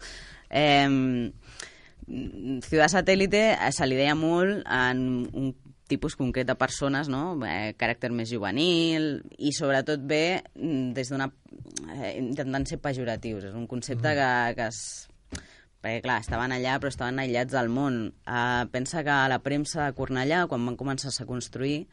Ciutat satèl·lite se li deia molt en un tipus concret de persones, no? Caràcter més juvenil, i sobretot ve des d'una... intentant ser pejoratius. És un concepte que perquè, clar, estaven allà, però estaven aïllats del món. Pensa que a la premsa de Cornellà, quan van començar a construir,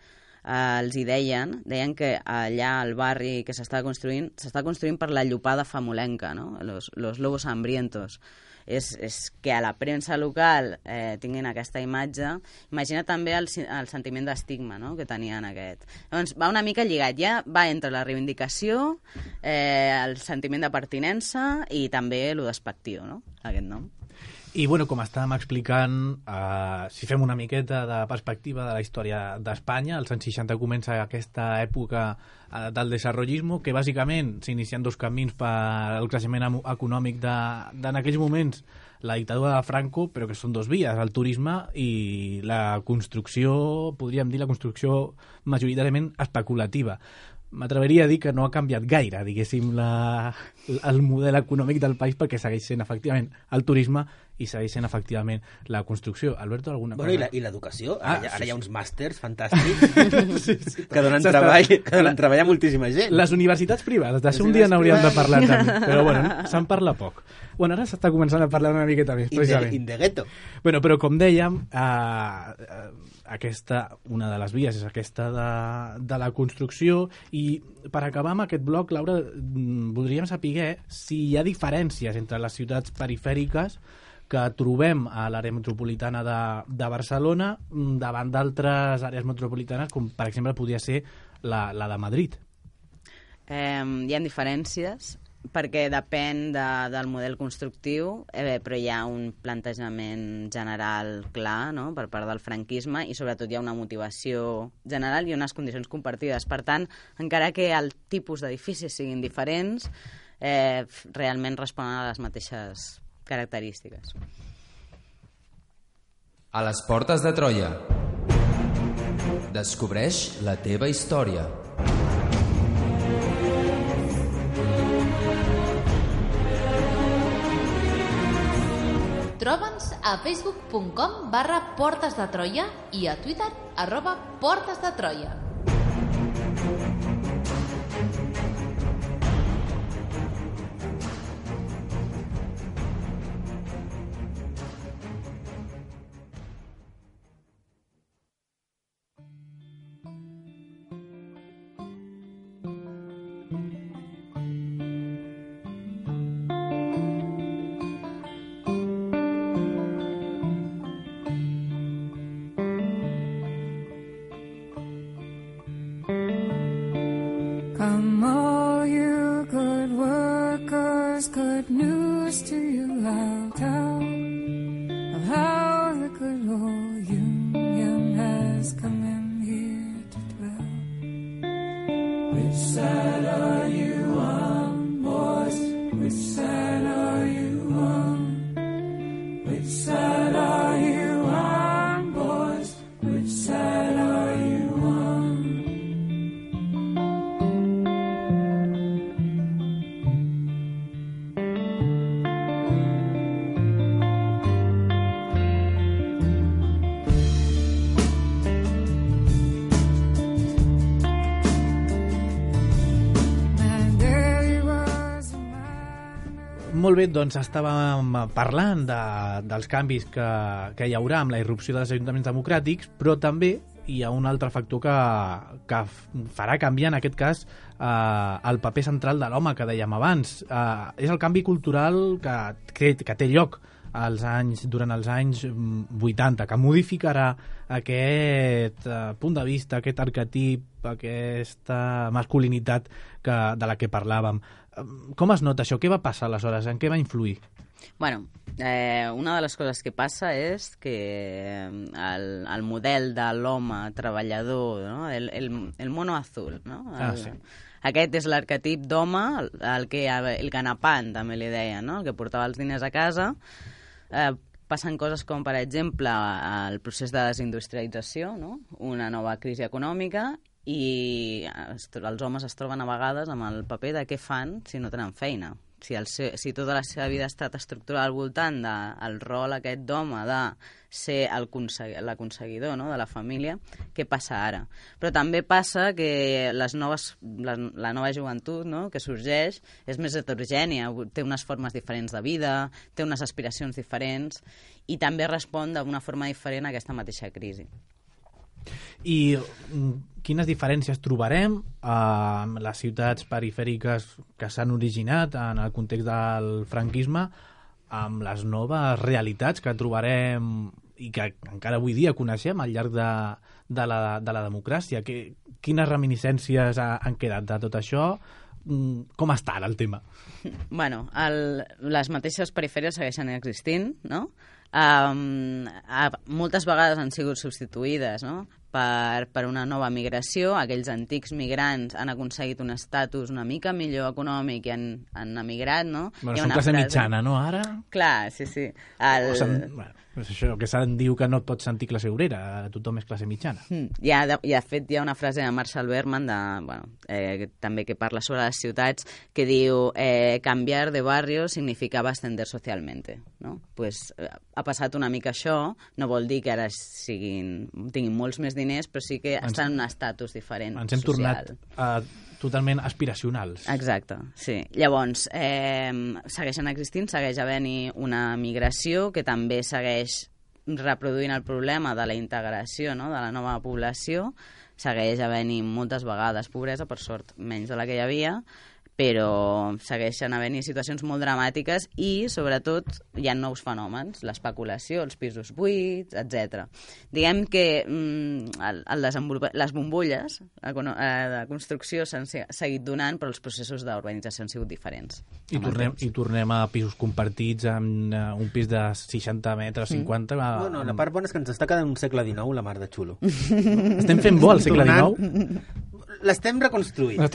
els hi deien que allà al barri que s'està construint per la llopada famolenca, no? Los lobos hambrientos. És que a la premsa local tinguin aquesta imatge. Imagina també el sentiment d'estigma, no?, que tenien aquest. Llavors va una mica lligat, ja va entre la reivindicació, el sentiment de pertinença i també lo despectiu, no?, aquest nom. I, bueno, com estàvem explicant, si fem una miqueta de perspectiva de la història d'Espanya, als anys 60 comença aquesta època del desenvolupisme, que bàsicament s'inicien 2 camins per al creixement econòmic en aquells moments, la dictadura de Franco, però que són 2 vies, el turisme i la construcció, podríem dir la construcció majoritàriament especulativa. M'atreveria a dir que no ha canviat gaire, diguéssim, el model econòmic del país, perquè segueix sent efectivament el turisme i segueix sent efectivament la construcció. Alberto, alguna cosa? Bueno, i l'educació? Ara hi ha uns màsters fantàstics que donen treball a moltíssima gent. Les universitats privades, d'això un dia n'hauríem de parlar també, però bueno, se'n parla poc. Bueno, ara s'està començant a parlar una miqueta més, precisament. In the ghetto. Bueno, però com dèiem, una de les vies és aquesta de la construcció, i per acabar amb aquest bloc, Laura, voldríem saber si hi ha diferències entre les ciutats perifèriques que trobem a l'àrea metropolitana de Barcelona davant d'altres àrees metropolitanes, com per exemple podria ser la de Madrid. Hi ha diferències, perquè depèn del model constructiu, però hi ha un plantejament general clar, no?, per part del franquisme, i sobretot hi ha una motivació general i unes condicions compartides. Per tant, encara que el tipus d'edificis siguin diferents, realment responen a les mateixes característiques. A les portes de Troia. Descobreix la teva història. Troba'ns a facebook.com/Portes de Troia i a Twitter @Portes de Troia. whispers good news to you. I'll tell of how the good old Union has come in here to dwell. Which side are you on, boys? Which side are you on? Which side are you on, boys? Which side are you on? Molt bé, doncs estàvem parlant dels canvis que hi haurà amb la irrupció dels ajuntaments democràtics, però també hi ha un altre factor que farà canviar, en aquest cas, el paper central de l'home que dèiem abans. És el canvi cultural que té lloc durant els anys 80, que modificarà aquest punt de vista, aquest arquetip, aquesta masculinitat de la que parlàvem. Com es nota això? Què va passar aleshores? En què va influir? Bueno, una de les coses que passa és que el model de l'home treballador, no? el mono azul, no? Sí. Aquest és l'arquetip d'home, el ganapant, també li deien, no? El que portava els diners a casa. Passen coses com, per exemple, el procés de desindustrialització, no? Una nova crisi econòmica, i els homes es troben a vegades amb el paper de què fan si no tenen feina. Si tota la seva vida ha estat estructurada al voltant del rol aquest d'home de ser l'aconseguidor, no?, de la família, què passa ara? Però també passa que la nova joventut, no?, que sorgeix és més heterogènia, té unes formes diferents de vida, té unes aspiracions diferents i també respon d'una forma diferent a aquesta mateixa crisi. I quines diferències trobarem amb les ciutats perifèriques que s'han originat en el context del franquisme amb les noves realitats que trobarem i que encara avui dia coneixem al llarg de la democràcia? Quines reminiscències han quedat de tot això? Com està ara el tema? Bueno, les mateixes perifèries segueixen existint, no? Moltes vegades han sigut substituïdes, no?, per una nova migració. Aquells antics migrants han aconseguit un estatus una mica millor econòmic i han emigrat, no? Bueno, són classe mitjana, no, ara? Clar, sí. És això que se'n diu que no et pots sentir classe obrera, tothom és classe mitjana. I de fet hi ha una frase de Marshall Berman, també que parla sobre les ciutats, que diu canviar de barrio significava ascender socialmente, no? Pues ha passat una mica això, no vol dir que ara tinguin molts més diners, però sí que estan en un estatus diferent social. Ens hem tornat totalment aspiracionals. Exacte, sí. Llavors, segueixen existint, segueix havent-hi una migració que també segueix reproduint el problema de la integració, no?, de la nova població. Segueix havent-hi moltes vegades pobresa, per sort menys de la que hi havia, però segueixen havent-hi situacions molt dramàtiques i, sobretot, hi ha nous fenòmens, l'especulació, els pisos buits, etc. Diguem que les bombolles de construcció s'han seguit donant, però els processos d'urbanització han sigut diferents. I tornem a pisos compartits, amb un pis de 60 metres, 50... Bueno, la part bona és que ens està quedant un segle XIX, la mar de xulo. Estem fent bo al segle XIX? L'estem reconstruint. No?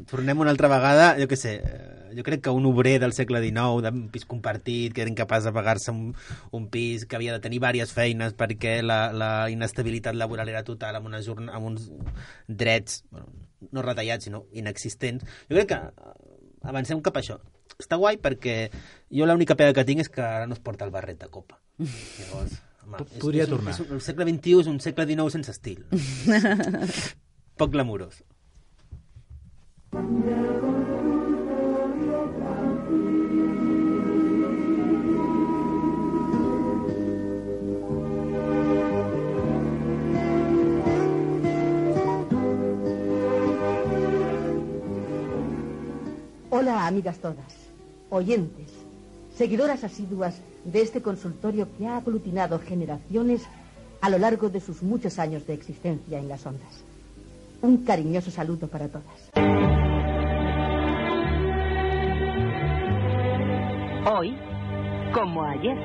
Tornem una altra vegada, jo què sé, jo crec que un obrer del segle XIX, d'un pis compartit, que era incapaç de pagar-se un pis, que havia de tenir diverses feines perquè la inestabilitat laboral era total, amb uns drets, bueno, no retallats, sinó inexistents. Jo crec que avancem cap a això. Està guai perquè jo l'única pega que tinc és que ara no es porta el barret de copa. Llavors, podria tornar. El segle XXI és un segle XIX sense estil. Poc glamurós. Hola, amigas todas, oyentes, seguidoras asiduas de este consultorio que ha aglutinado generaciones a lo largo de sus muchos años de existencia en las ondas. Un cariñoso saludo para todas. Hoy, como ayer.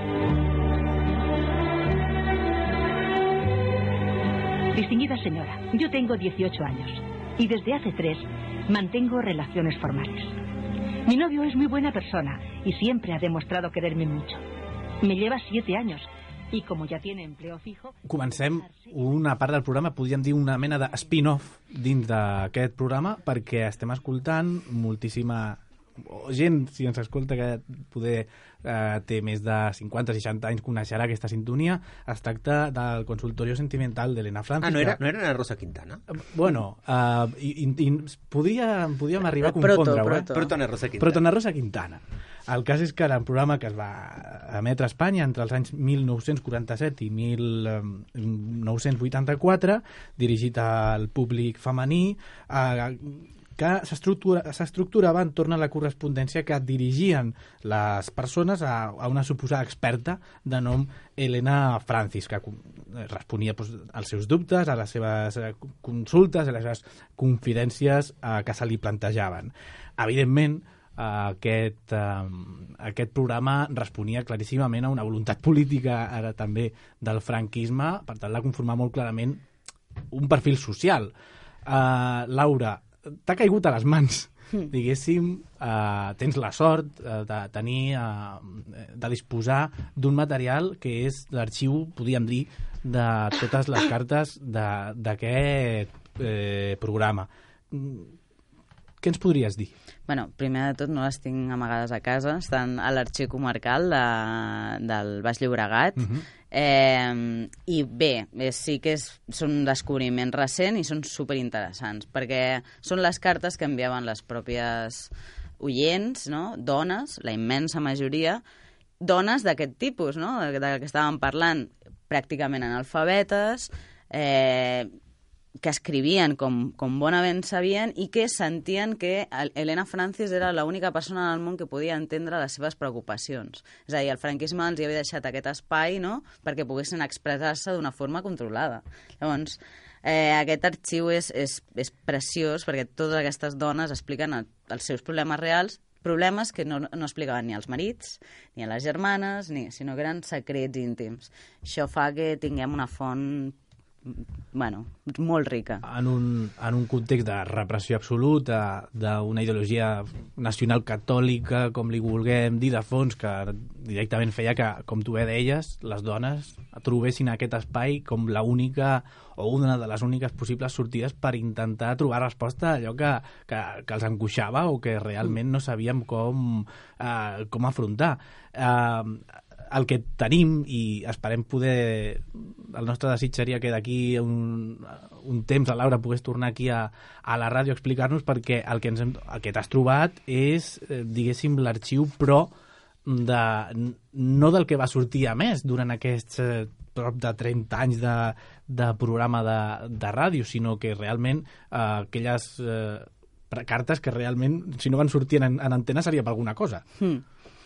Distinguida señora, yo tengo 18 años y desde hace 3 mantengo relaciones formales. Mi novio es muy buena persona y siempre ha demostrado quererme mucho. Me lleva 7 años i com ja tiene empleo fijo... Comencem una part del programa, podríem dir una mena de spin-off dins d'aquest programa, perquè estem escoltant moltíssima gent, si ens escolta, que poder té més de 50-60 anys, coneixerà aquesta sintonia. Es tracta del Consultorio Sentimental d'Elena Francis. No era Ana Rosa Quintana? Bueno, podíem arribar a confondre-ho. Proto Ana Rosa Quintana. Proto Ana Rosa Quintana. El cas és que era un programa que es va emetre a Espanya entre els anys 1947 i 1984, dirigit al públic femení, que s'estructurava entorn a la correspondència que dirigien les persones a una suposada experta de nom Elena Francis, que responia als seus dubtes, a les seves consultes, a les seves confidències que se li plantejaven. Evidentment, aquest programa responia claríssimament a una voluntat política ara també del franquisme, per tal de conformar molt clarament un perfil social. Laura, t'ha caigut a les mans, diguéssim, tens la sort de tenir, de disposar d'un material que és l'arxiu, podríem dir, de totes les cartes d'aquest programa. Què ens podries dir? Bueno, primer de tot no les tinc amagades a casa, estan a l'arxiu comarcal del Baix Llobregat. I bé, sí que són un descobriment recent i són superinteressants, perquè són les cartes que enviaven les pròpies oients, no? Dones, la immensa majoria, dones d'aquest tipus, no? De què estàvem parlant, pràcticament analfabetes, que escrivien com bonament sabien i que sentien que Elena Francis era l'única persona en el món que podia entendre les seves preocupacions. És a dir, el franquisme els havia deixat aquest espai, no?, perquè poguessin expressar-se d'una forma controlada. Llavors, aquest arxiu és preciós perquè totes aquestes dones expliquen els seus problemes reals, problemes que no explicaven ni als marits, ni a les germanes, sinó que eren secrets íntims. Això fa que tinguem una font molt rica. En un context de repressió absoluta, d'una ideologia nacional catòlica, com li vulguem dir, de fons, que directament feia que, com tu bé deies, les dones trobessin aquest espai com l'única o una de les úniques possibles sortides per intentar trobar resposta a allò que els angoixava o que realment no sabíem com afrontar. El que tenim, i esperem poder... El nostre desig seria que d'aquí un temps la Laura pogués tornar aquí a la ràdio a explicar-nos, perquè el que t'has trobat és, diguéssim, l'arxiu, però no del que va sortir a més durant aquests prop de 30 anys de programa de ràdio, sinó que realment aquelles cartes que realment, si no van sortir en antena, seria per alguna cosa.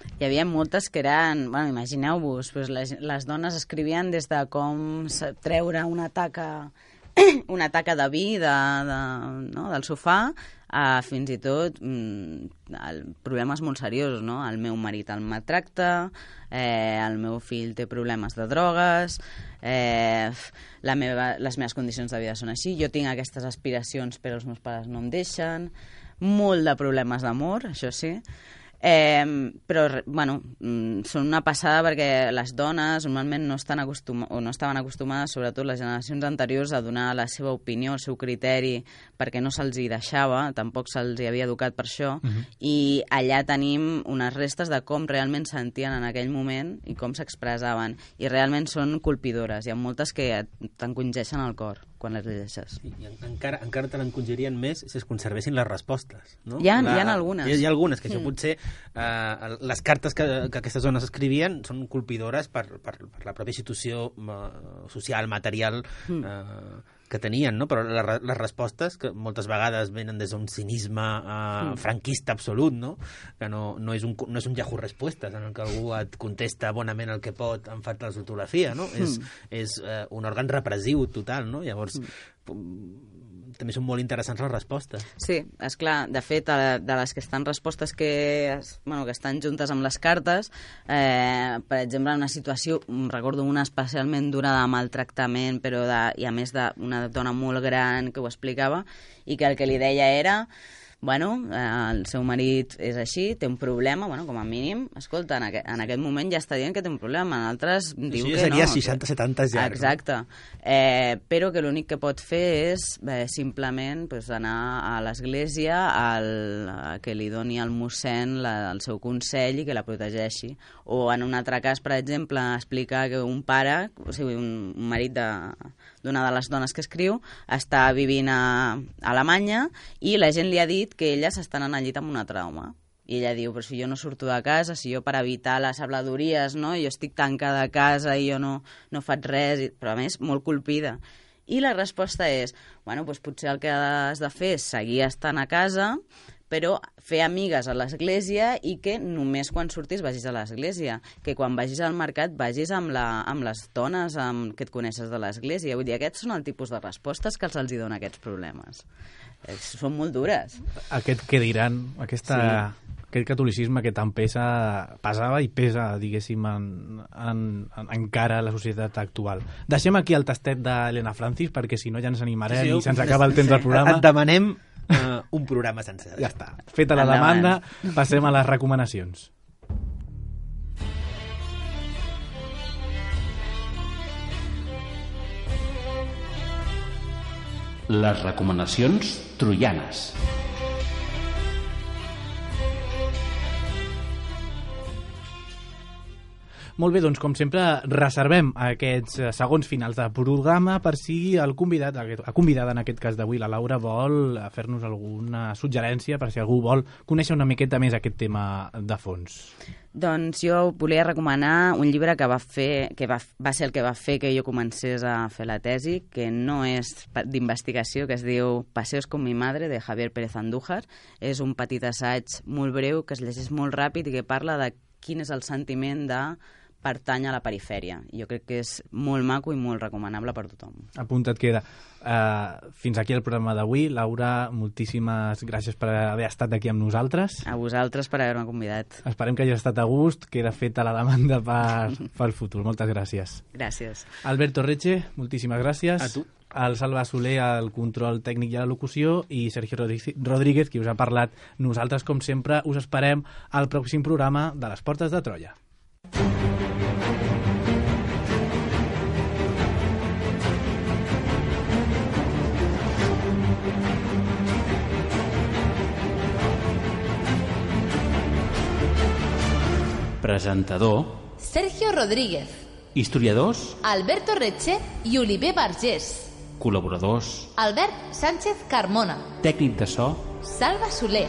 Hi havia moltes que eren... Bueno, imagineu-vos, les dones escrivien des de com treure una taca de vi del sofà a fins i tot problemes molt seriosos, no? El meu marit el maltracta, el meu fill té problemes de drogues, les meves condicions de vida són així, jo tinc aquestes aspiracions però els meus pares no em deixen, molt de problemes d'amor, això sí. Però, bueno, són una passada perquè les dones normalment no estaven acostumades, sobretot les generacions anteriors, a donar la seva opinió, el seu criteri, perquè no se'ls hi deixava, tampoc se'ls hi havia educat per això, i allà tenim unes restes de com realment sentien en aquell moment i com s'expressaven, i realment són colpidores, hi ha moltes que t'encongeixen el cor quan les llegeixes. I encara te l'encongirien més si es conservessin les respostes, no? Hi ha algunes. Hi ha algunes, que això potser... les cartes que aquestes dones escrivien són colpidores per la pròpia situació social, material que tenien, no? Però les respostes, que moltes vegades venen des d'un cinisme franquista absolut, no? Que no és un Yahoo Respostes en el que algú et contesta bonament el que pot en falta de ortografia, no? És un òrgan repressiu total, no? Llavors, també són molt interessants les respostes. Sí, és clar. De fet, de les que estan respostes que estan juntes amb les cartes, per exemple, en una situació, recordo una especialment dura de maltractament, però i a més d'una dona molt gran que ho explicava, i que el que li deia era... el seu marit és així, té un problema, com a mínim, escolta, en aquest moment ja està dient que té un problema, en altres diu que no. Seria 60-70 ja. Exacte. Però que l'únic que pot fer és simplement anar a l'església que li doni al mossèn el seu consell i que la protegeixi. O en un altre cas, per exemple, explicar que un pare, o sigui, un marit d'una de les dones que escriu, està vivint a Alemanya i la gent li ha dit que ella s'està anant al llit amb una trauma. I ella diu, però si jo no surto de casa, si jo per evitar les habladuries, no? Jo estic tancada a casa i jo no faig res, però a més molt colpida. I la resposta és, potser el que has de fer és seguir estant a casa, però fer amigues a l'església i que només quan surtis vagis a l'església, que quan vagis al mercat vagis amb les dones que et coneixes de l'església. Vull dir, aquests són el tipus de respostes que els dona aquests problemes. Són molt dures. Aquest que diran, aquest catolicisme que tant pesava i pesa, diguéssim, encara a la societat actual. Deixem aquí el tastet d'Helena Francis, perquè si no ja ens animarem i se'ns acaba el temps del programa. Et demanem un programa sencer. Ja està. Feta la demanda, passem a les recomanacions. Les recomanacions troianes. Molt bé, doncs com sempre reservem aquests segons finals de programa per si el convidat, la convidada en aquest cas d'avui, la Laura, vol fer-nos alguna suggerència per si algú vol conèixer una miqueta més aquest tema de fons. Doncs jo volia recomanar un llibre que va ser el que va fer que jo comencés a fer la tesi, que no és d'investigació, que es diu Paseos con mi madre, de Javier Pérez Andújar. És un petit assaig molt breu que es llegeix molt ràpid i que parla de quin és el sentiment de pertany a la perifèria. Jo crec que és molt maco i molt recomanable per tothom. Apunta't queda. Fins aquí el programa d'avui. Laura, moltíssimes gràcies per haver estat aquí amb nosaltres. A vosaltres per haver-me convidat. Esperem que hagi estat a gust. Queda feta la demanda pel futur. Moltes gràcies. Gràcies. Alberto Reche, moltíssimes gràcies. A tu. El Salva Soler, al control tècnic i a la locució, i Sergio Rodríguez, qui us ha parlat. Nosaltres, com sempre, us esperem al pròxim programa de Les Portes de Troia. Presentador Sergio Rodríguez. Historiadors Alberto Reche i Oliver Vergés. Col·laboradors Albert Sánchez Carmona. Tècnic de so Salva Soler.